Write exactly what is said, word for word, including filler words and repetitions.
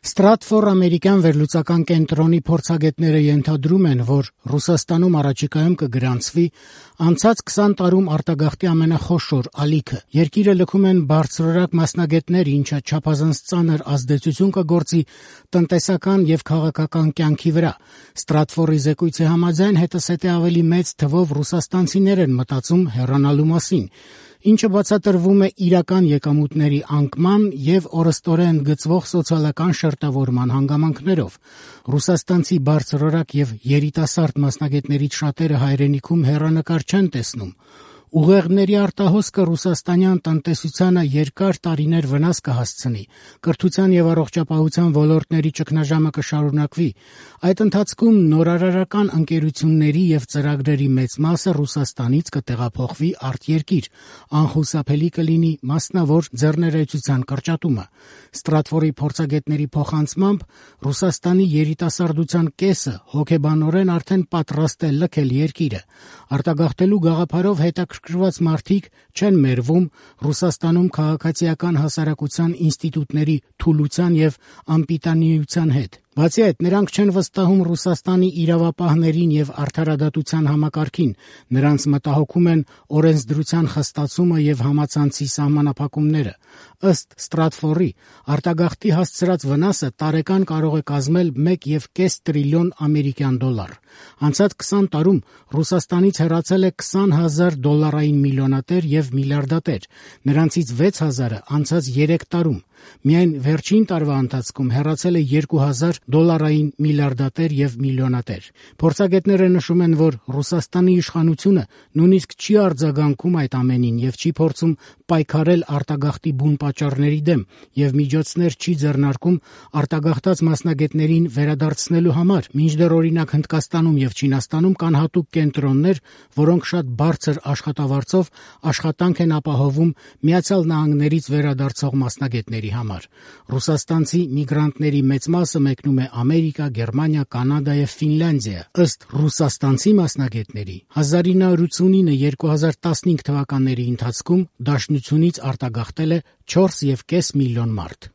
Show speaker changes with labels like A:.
A: Stratfor ամերիկյան վերլուծական կենտրոնի փորձագետները ենթադրում են, որ Ռուսաստանում առաջիկայում կգրանցվի անցած քսան տարում արտագաղթի ամենախոշոր ալիքը։ Երկիրը լքում են բարձրորակ մասնագետներ, ինչը չափազանց ծանր ազդեցություն կգործի տնտեսական եւ քաղաքական կյանքի վրա։ Stratfor-ի զեկույցի համաձայն հետսետե ավելի մեծ թվով ռուսաստանցիներ են մտածում հեռանալու մասին, ինչը բացատրվում է իրական եկամուտների անկման եւ օրըստօրեն գծվող սոցիալական շերտավորման հանգամանքներով։ Ռուսաստանցի բարձրորակ եւ երիտասարդ մասնագետներից շատերը հայրենիքում հեռանկար չեն տեսնում։ Ուղեղների արտահոսքը ռուսաստանյան տնտեսությանը երկար տարիներ վնաս կհասցնի, կրթության եւ առողջապահության ոլորտների ճգնաժամը կշարունակվի։ Այդ ընթացքում նորարարական ընկերությունների եւ ծրագրերի մեծ մասը Ռուսաստանից կտեղափոխվի արտերկիր, անխուսափելի կլինի մասնավոր ձեռներեցության կրճատումը։ Stratfor-ի փորձագետների փոխանցմամբ Ռուսաստանի երիտասարդության կեսը հոգեբանորեն արդեն պատրաստ է լքել երկիրը։ Արտագաղթելու գաղափարով հետաքրքրված մարդիկ չեն մերվում Ռուսաստանում քաղաքացիական հասարակության ինստիտուտների թուլության եւ անպիտանիության հետ։ Բացի այդ, նրանք չեն վստահում Ռուսաստանի իրավապահներին եւ արդարադատության համակարգին, նրանց մտահոգում են օրենսդրության խստացումը եւ համացանցի սահմանափակումները։ Ըստ Stratfor-ի, արտագաղթի հասցրած վնասը տարեկան կարող է կազմել մեկ եւ կես տրիլիոն ամերիկյան դոլար։ Անցած քսան տարում Ռուսաստանից հեռացել է քսան հազար դոլարային միլիոնատեր եւ միլիարդատեր, նրանցից վեց հազարը անցած երեք տարում։ Միայն վերջին տարվա ընթացքում հեռացել է երկու հազար դոլարային միլիարդատեր եւ միլիոնատեր։ Փորձագետները նշում են, որ Ռուսաստանի իշխանությունը նույնիսկ չի արձագանքում այդ ամենին եւ չի փորձում պայքարել արտագաղթի բուն պատճառների դեմ եւ միջոցներ չի ձեռնարկում արտագաղթած մասնագետներին վերադարձնելու համար, մինչդեռ օրինակ Հնդկաստանում եւ Չինաստանում կան հատուկ կենտրոններ, որոնք շատ բարձր աշխատավարձով աշխատանք են ապահովում Միացյալ Նահանգներից վերադարձող մասնագետների համար։ Ռուսաստանցի միգրանտների մեծ մասը մեկնում է Ամերիկա, Գերմանիա, Կանադա եւ Ֆինլանդիա։ Ըստ ռուսաստանցի մասնագետների, հազար ինը հարյուր ութինը - երկու հազար տասնհինգ թվականների ընթացքում դաշնությունից արտագաղթել է չորս եւ կես միլիոն մարդ։